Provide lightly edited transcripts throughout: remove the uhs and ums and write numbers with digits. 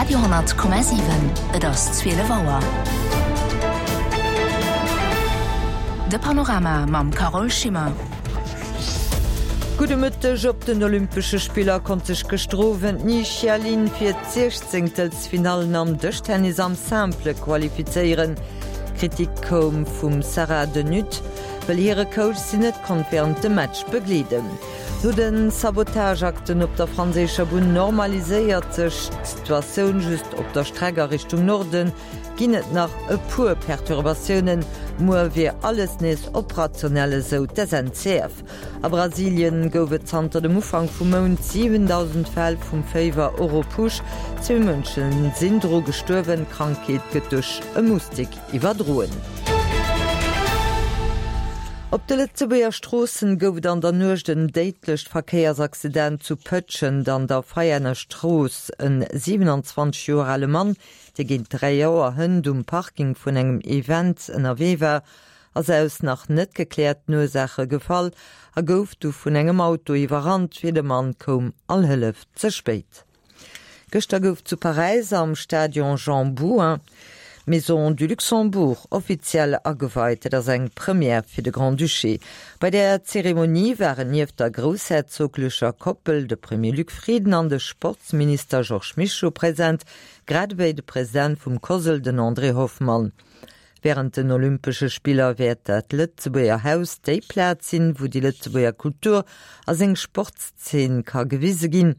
Radio,7 Et ass 12 Auer. De Panorama mam Carole Schimmer. Gudde Mëtteg. Op den Olympesche Spiller konnt sech gëschter Owend d'Ni Xia Lin fir d'Siechzéngtelsfinallen am Dëschtennis am Simple qualifizéieren. Kritik koum vum Sarah De Nutte, well hire Coach si net konnt wärend dem Match begleeden. No de Sabotageakten op der franséischer Bunn normaliséiert sech d'Situatioun. Just op der Streck a Richtung Norde ginn et nach e puer Perturbatiounen. Muer wier alles nees operationell, esou d'SNCF. A Brasilien gouf et zanter dem Ufank vum Mount 7.000 Fäll vum Féiwer Oropouche. Zwee Mënsche sinn dru gestuerwen. D'Krankheet gëtt duerch e Mustik iwwerdroen. Op de Lëtzebuerger Stroossen gouf et an der Nuecht en déidlecht Verkéiersaccident zu Pëtschent an der Veianer Strooss. En 27 Joer ale Mann, dee géint 3 Auer hënt um Parking vun engem Event ënnerwee war, ass aus nach net gekläerten Ursaache gefall a gouf du vun engem Auto iwwerrannt. Fir de Mann koum all Hëllef ze spéit. Gëschter gouf zu Paräis am Stadion Jean Bouin d'Maison du Luxembourg offiziell ageweit. Dat ass eng Première fir de Grand-Duché. Bei der Zeremonie waren nieft der groussherzoglecher Koppel de Premier Luc Frieden an de Sportsminister Georges Mischo present, grad ewéi de President vum COSL, den André Hoffmann. Wärend den Olympesche Spiller wäert dat Lëtzebuerger Haus déi Plaz sinn, wou déi Lëtzebuerger Kultur a seng Sportszeen ka gewise ginn.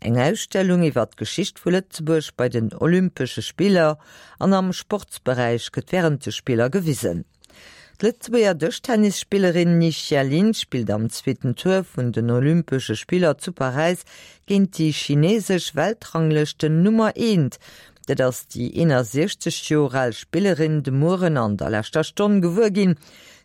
Eng Ausstellung iwwer d'Geschicht vu Lëtzebuerg bei den Olympesche Spiller an am Sportsberäich gëtt wärend de Spiller gewisen. D'Lëtzebuerger Dëschtennisspillerin Ni Xia-Lin spillt am zweeten Tour vun den Olympesche Spiller zu Paräis géint déi chinesesch Weltranglëschten Nummer eent. Dat ass déi 61 Joer al Spillerin de Mueren an der leschter Stonn gewuer ginn.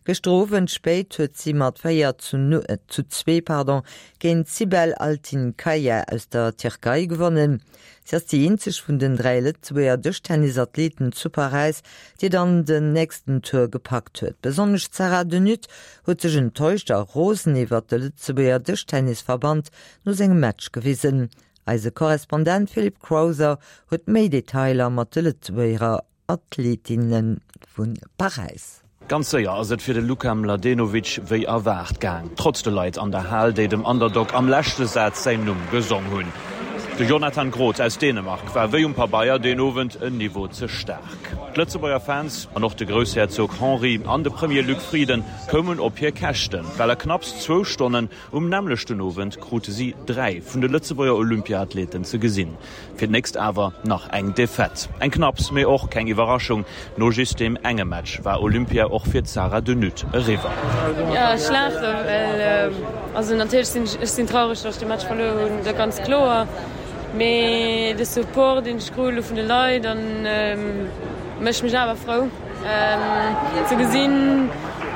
Gëschter Owend spéit huet si mat 4 zu 2 pardon, géint d'Sibel Altinkaya aus der Tierkei gewonnen. Si ass déi eenzeg vun den 3 Lëtzebuerger Dëschtennisathleten zu Paräis, déi et an den nächsten Tour gepackt huet. Besonnesch d'Sarah De Nutte huet sech enttäuscht a rosen iwwert de Lëtzebuerger Dëschtennisverband no sengem Match gewisen. Eise Korrespondent Philippe Crowther huet méi Detailer mat de Lëtzebuerger Athletinne vu Paräis. Ganz séier ass et fir de Luka Mladenovic wéi erwaart gaang, trotz de Leit an der Hal, déi dem Underdog am leschte Saz säin Numm gesong hunn. De Jonathan Groth aus Dänemark war wéi um Pabeier deen Owend en Niveau ze staark. D'Lëtzebuerger Fans an och de Groussherzog Henri an de Premier Luc Frieden koumen op hir Käschten, well a knapps zwou Stonnen Um nämmlechten Owend krute si 3 vun de Lëtzebuerger Olympiaathleten ze gesinn. Fir d'nächst awer nach eng Defaite. Eng knapps, mee och keng Iwwerraschung. No just deem enge Match war Olympia och fir d'Sarah De Nutte eriwwer. Jo, ech laachen, well also natierlech sinn ech, ech sinn traureg, datt ech de Match verluer hunn, dat ganz kloer. Mee de Support, deen ech krut elo vun de Leit an mécht mech awer frou. Ze gesinn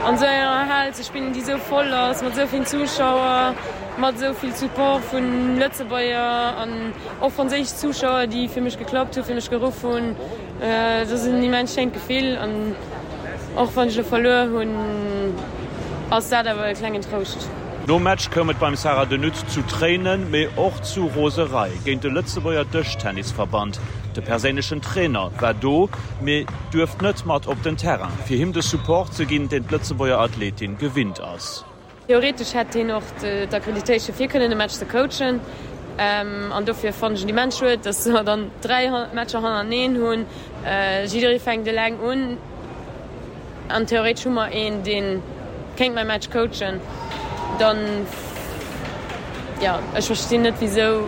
an esou enger Hal ze spillen, déi esou voll ass, mat esou vill Zuschauer, mat esou vill Support vun Lëtzebuerger an och franséisch Zuschauer, déi fir mech geklappt hunn, fir mech geruff hunn. Dat ass en immens schéint Gefill an och wann ech elo verluer hunn, ass dat awer e klengen Trouscht. Nom Match koum et beim Sarah De Nutte zu Tréinen, mee och zu Roserei géint de Lëtzebuerger Dëschtennisverband. De perséinlechen Trainer war do, mee duerft net mat op den Terrain, fir him de Support ze ginn, deen d'Lëtzebuerger Athletin gewinnt ass. Theoretesch hätt hien och d'Accreditation fir kënnen e Match ze coachen an dofir fannen ech et immens schued, dass mer dann 3 Matcher hannerteneen hunn. Jidderee fänkt eleng un. An theoretesch hu mer een, dee kéint mäi Match coachen. Dann, jo, ech verstinn net, wisou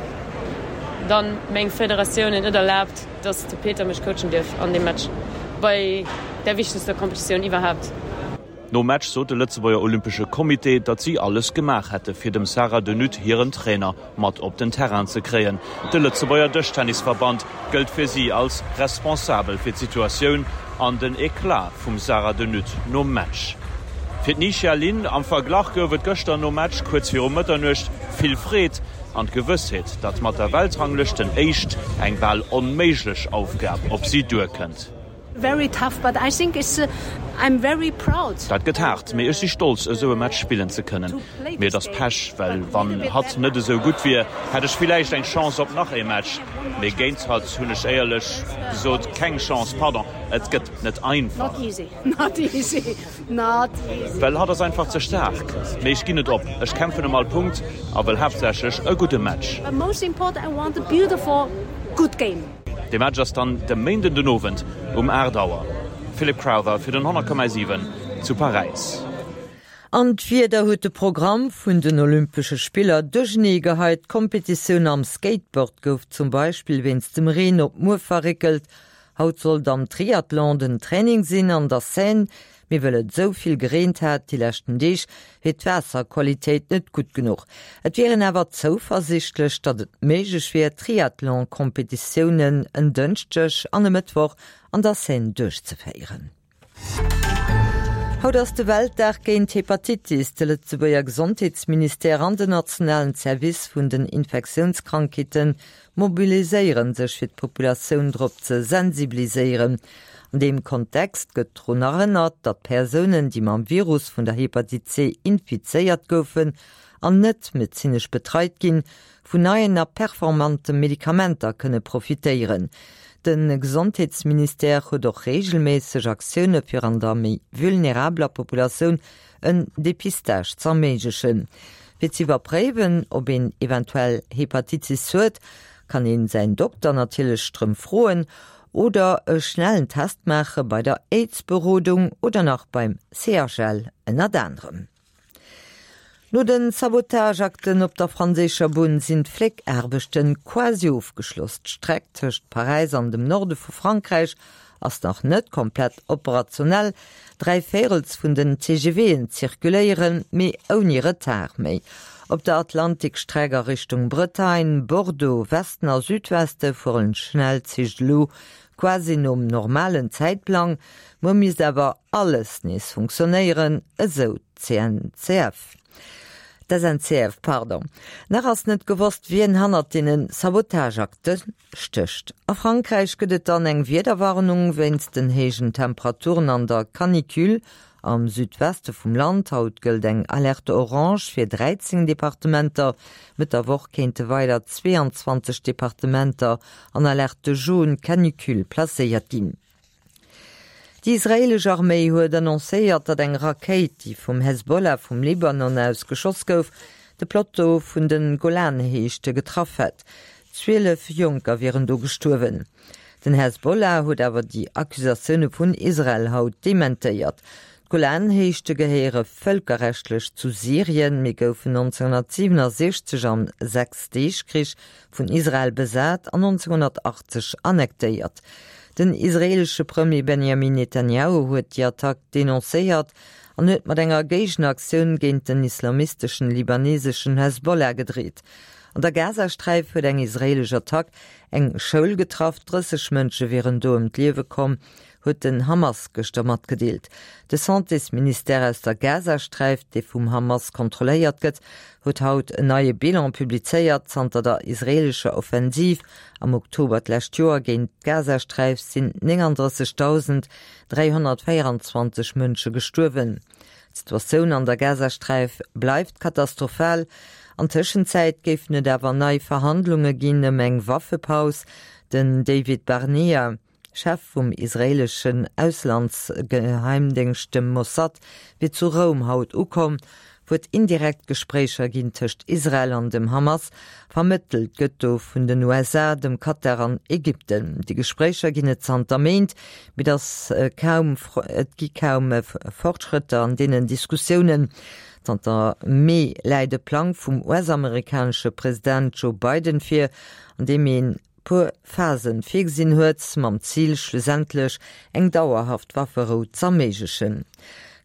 dann meng Federatioun et net erlaabt, dass de Peter mech coachen dierf an deem Match bei der wichtegster Competitioun iwwerhaapt. Nom Match sot de Lëtzebuerger Olympesche Comité, datt si alles gemaach hätte fir dem Sarah De Nutte hiren Trainer mat op den Terrain ze kréien. De Lëtzebuerger Dëschtennisverband gëllt fir si als responsabel fir d'Situatioun an den Eclat vum Sarah De Nutte nom Match. Fir d'Ni Xia Lin am Verglach gouf et gëschter nom Match kuerz viru Mëtternuecht vill Freed an d'Gewëssheet, datt mat der Weltranglëschten éischt eng bal onméiglech Aufgab op si duerkënnt. Very tough, but I think it's I'm very proud. Dat gëtt haart, mee ech si stolz esou e Match spillen ze kënnen. Mee et ass Pech, well wann hatt net esou gutt wier, hätt ech villäicht eng Chance op nach ee Match. Mee géint hatt hunn ech éierlech gesot keng Chance. Pardon, et gëtt net einfach. Not easy, not easy, not easy. Well hatt ass einfach ze staark. Mee ech ginn net op, ech kämpfen ëm all Punkt a wëll haaptsächlech e gudde Match. But most important, I want a beautiful, good game. De Match ass dann de Méinden den Owend um 8 Auer. Philippe Crowther fir den 100,7 zu Paräis. An d'Wieder huet de Programm vun den Olympesche Spiller duerchenee geheit. D'Kompetitioun am Skateboard gouf zum Beispill wéinst dem Reen op muer verréckelt. Haut sollt am Triathlon den Training sinn an der Seine, mee wëll et esou vill gereent hat déi leschten Deeg, wier d'Waasserqualitéit net gutt genuch. Et wier een awer zouversichtlech, datt et méiglech wier, Triathlon-Kompetitiounen en Dënschdeg an e Mëttwoch an der Seine duerchzeféieren. Haut ass de Weltdag géint Hepatitis. De Lëtzebuerger Gesondheetsministère an den nationalen Service vun den Infektiounskrankheete mobiliséiere sech fir d'Populatioun drop ze sensibiliséieren. An deem Kontext gëtt drun erënnert, datt Persounen, déi mam Virus vun der Hepatite C infizéiert goufen an net medezinesch betreit ginn, vun neien a performante Medikamenter kënne profitéieren. De Gesondheetsministère huet och reegelméisseg Aktioune fir an der méi vulnerabeler Populatioun en Depistage z'erméiglechen. Fir z'iwwerpréiwen, ob een eventuell Hepatitis huet, kann een säin Dokter natierlech drëm froen oder e schnellen Test maache bei der Aids-Berodung oder nach beim CHL ënnert anerem. No de Sabotageakten op der franséischer Bunn sinn d'Fléckaarbechte quasi ofgeschloss. D'Streck tëscht Paräis an dem Norde vu Frankräich ass nach net komplett operationell. 3 Véirels vun den TGVen zirkuléieren, mee ouni Retard méi. Op der Atlantikstreck a Richtung Bretagne, Bordeaux, Westen a Südweste fueren d'Schnellzich elo quasi nom normalen Zäitplang. Muer misst awer alles nees funktionéieren, esou d'CNCF. D'SNCF, pardon. Nach ass net gewosst, wien hannert deene Sabotageakte stécht. A Frankräich gëtt et dann eng Wiederwarnung wéinst den héijen Temperaturen an der Canicule am Südweste vum Land. Haut gëllt eng Alerte orange fir 13 Departementer. Mëtt der Woch kéinte weider 22 Departementer an Alerte jaune canicule placéiert ginn. Déi israeelesch Arméi huet annoncéiert, datt eng Rakéit, déi vum Hezbollah vum Libanon aus geschoss gouf, de Plateau vun de Golanhéichte getraff hätt. 12 Jonker wieren do gestuerwen. Den Hezbollah huet awer déi Accusatioune vun Israel haut dementéiert. D'Golanhéichte gehéiere vëlkerrechtlech zu Syrien, mee goufen 1967 am Sechsdeegkrich vun Israel besat an 1980 annektéiert. Den israeelesche Premier Benjamin Netanjahu huet déi Attack denoncéiert an huet mat enger Géigenaktioun géint den islamisteschen libaneseschen Hezbollah gedreet. An der Gazasträif huet eng israeelesch Attack eng Schoul getraff, 30 Mënsche wieren do ëm d'Liewe komm, huet den Hamas gëschter matgedeelt. De Santésministère aus der Gazasträif, dee vum Hamas kontrolléiert gëtt, huet haut en neie Bilan publizéiert. Zanter der israeelescher Offensiv am Oktober d'lescht Joer géint d'Gazasträif sinn 39.324 Mënsche gestuerwen. D'Situatioun an der Gazasträif bleift katastrophal. An Tëschenzäit géifen et awer nei Verhandlunge ginn ëm eng Waffepaus. Den David Barnea, Chef vum israeeleschen Auslandsgeheimdéngscht, dem Mossad, wier zu Roum haut ukomm, wou et indirekt Gespréicher ginn tëscht Israel an dem Hamas. Vermëttelt gëtt do vun den USA, dem Katar an Ägypten. Déi Gespréicher ginn et zanter Méint, mee et ass kaum et gi kaum Fortschrëtter an deenen Diskussiounen. Zanter Mee läit e Plang vum US-amerikanesche President Joe Biden vir, an deem een puer Phasen virgesinn huet, mam Zil schlussendlech eng dauerhaft Wafferou z'erméiglechen.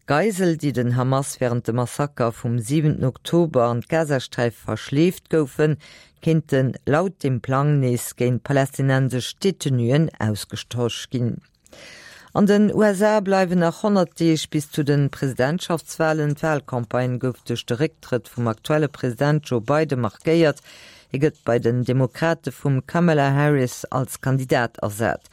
Geisel, déi den Hamas wärend dem Massaker vum siwenten Oktober an d'Gazasträif verschleeft goufen, kéinte laut dem Plang nees géint palästinensesch Detenuen ausgetosch ginn. An den USA bleiwen nach 100 Deeg bis zu de Presidentschaftswalen. D'Walcampagne gouf duerch de Récktrëtt vum aktuelle President Joe Biden markéiert. Hie gëtt bei den Demokrate vum Kamala Harris als Kandidat ersat.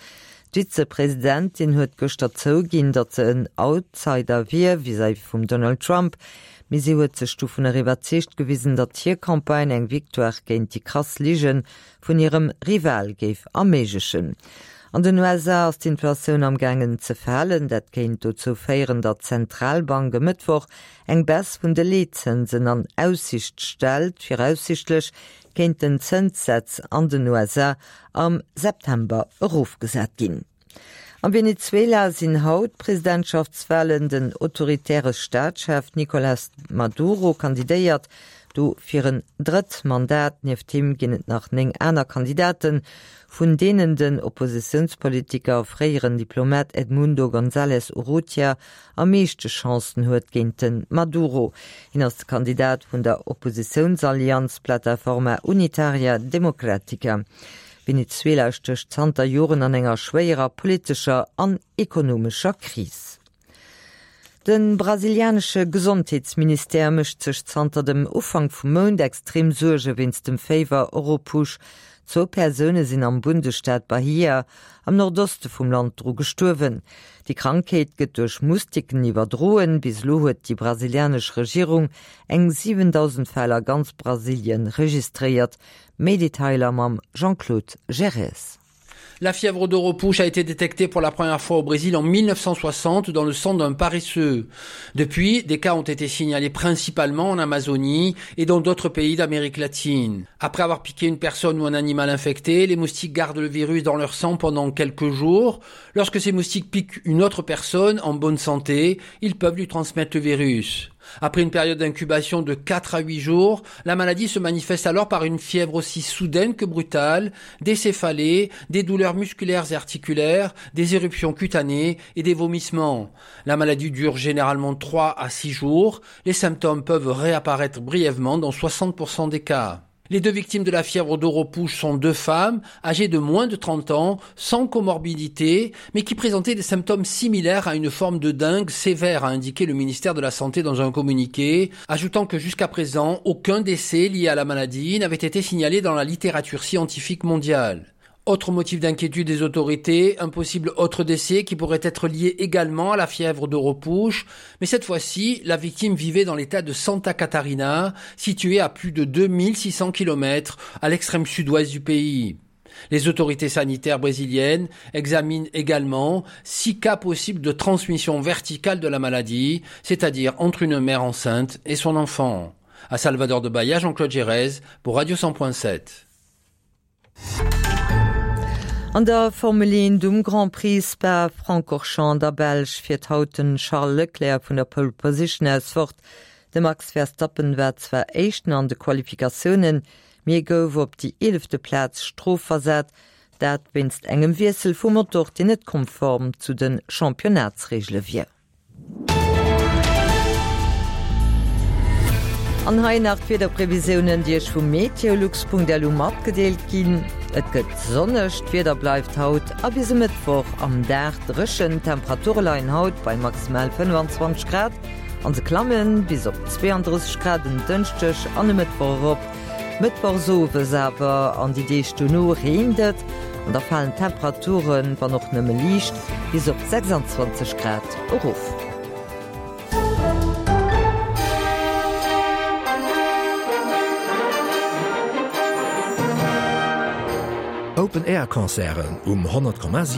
D'Vizepresidentin huet gëschter zouginn, datt se en Outsider wier vis-à-vis vum Donald Trump, mee si huet sech dovunner iwwerzeegt gewisen, datt hir Campagne eng Victoire géint déi krass Lige vun hirem Rival géif erméiglechen. An den USA ass d'Inflatioun am gaangen ze falen. Dat kéint dozou féieren, datt d'Zentralbank e Mëttwoch eng Baisse vun de Leetzënsen an Aussicht stellt. Viraussichtlech kéint den Zënssätz an den USA am September erofgesat ginn. Am Venezuela sinn haut d'Presidentschaftswalen. Den autoritäre Staatschef Nicolas Maduro kandidéiert do fir en drëtt Mandat. Nieft him ginn et nach 9 aner Kandidaten, vun deenen den Oppositiounspolitiker a fréieren Diplomat Edmundo González Urrutia am meeschte Chancen huet géint de Maduro. Hien ass de Kandidat vun der Oppositiounsallianz Plataforma Unitaria Democrática. Venezuela stécht zanter Joren an enger schwéierer politescher an ekonomescher Kris. De brasilianesche Gesondheetsministère mécht sech zanter dem Ufank vum Mount extrem Suerge wéinst dem Féiwer Oropouche. Zwou Persoune sinn am Bundesstaat Bahia am Nordoste vum Land dru gestuerwen. Déi Krankheet gëtt duerch Mustiken iwwerdroen. Bis elo huet déi brasilianesch Regierung eng 7.000 Fäll a ganz Brasilien registréiert. Méi Detailer mam Jean-Claude Gerez. La fièvre d'Oropouche a été détectée pour la première fois au Brésil en 1960 dans le sang d'un paresseux. Depuis, des cas ont été signalés principalement en Amazonie et dans d'autres pays d'Amérique latine. Après avoir piqué une personne ou un animal infecté, les moustiques gardent le virus dans leur sang pendant quelques jours. Lorsque ces moustiques piquent une autre personne en bonne santé, ils peuvent lui transmettre le virus. Après une période d'incubation de 4 à 8 jours, la maladie se manifeste alors par une fièvre aussi soudaine que brutale, des céphalées, des douleurs musculaires et articulaires, des éruptions cutanées et des vomissements. La maladie dure généralement 3 à 6 jours. Les symptômes peuvent réapparaître brièvement dans 60% des cas. Les deux victimes de la fièvre d'Oropouche sont deux femmes âgées de moins de 30 ans, sans comorbidité, mais qui présentaient des symptômes similaires à une forme de dengue sévère, a indiqué le ministère de la Santé dans un communiqué, ajoutant que jusqu'à présent, aucun décès lié à la maladie n'avait été signalé dans la littérature scientifique mondiale. Autre motif d'inquiétude des autorités, un possible autre décès qui pourrait être lié également à la fièvre d'Oropouche, mais cette fois-ci, la victime vivait dans l'état de Santa Catarina, situé à plus de 2600 km à l'extrême sud-ouest du pays. Les autorités sanitaires brésiliennes examinent également six cas possibles de transmission verticale de la maladie, c'est-à-dire entre une mère enceinte et son enfant. À Salvador de Bahia, Jean-Claude Gérez pour Radio 100.7. An der Formel 1 um Grand Prix Spa-Francorchamps an der Belsch fiert haut den Charles Leclerc vun der Pole Position aus fort. De Max Verstappen war zwar Éischten an de Qualifikatiounen, mee gouf op déi eelefte Plaz strofversat, dat wéinst engem Wiessel vum Motor, deen net konform zu de Championnatsreegele wier. An hei nach d'Wiederprevisiounen, déi Iech vu meteolux.lu matgedeelt ginn. Et gëtt sonneg, d'Wieder bleift haut a bis e Mëttwoch am Dag dréchen. D'Temperature leien haut bei maximal 25 Grad an se klamme bis op 32 Grad en Dënschdeg an e Mëttwoch erop. Mëttwochs owes awer an déi Deeg dono reent et an da falen d'Temperaturen, wann och nëmme liicht, bis op 26 Grad erof. Open Air Concerten um 100,7.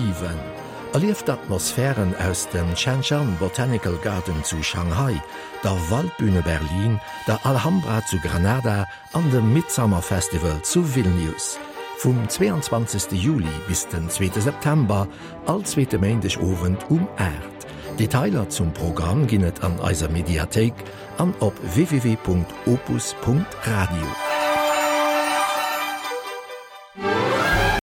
Erlieft d'Atmosphären aus dem Chenshan Botanical Garden zu Shanghai, der Waldbühne Berlin, der Alhambra zu Granada an dem Midsummer Festival zu Vilnius. Vum 22. Juli bis den zweete September, all zweete Méindeg Owend um 8. Detailer zum Programm ginn et an eiser Mediathéik an op www.opus.radio.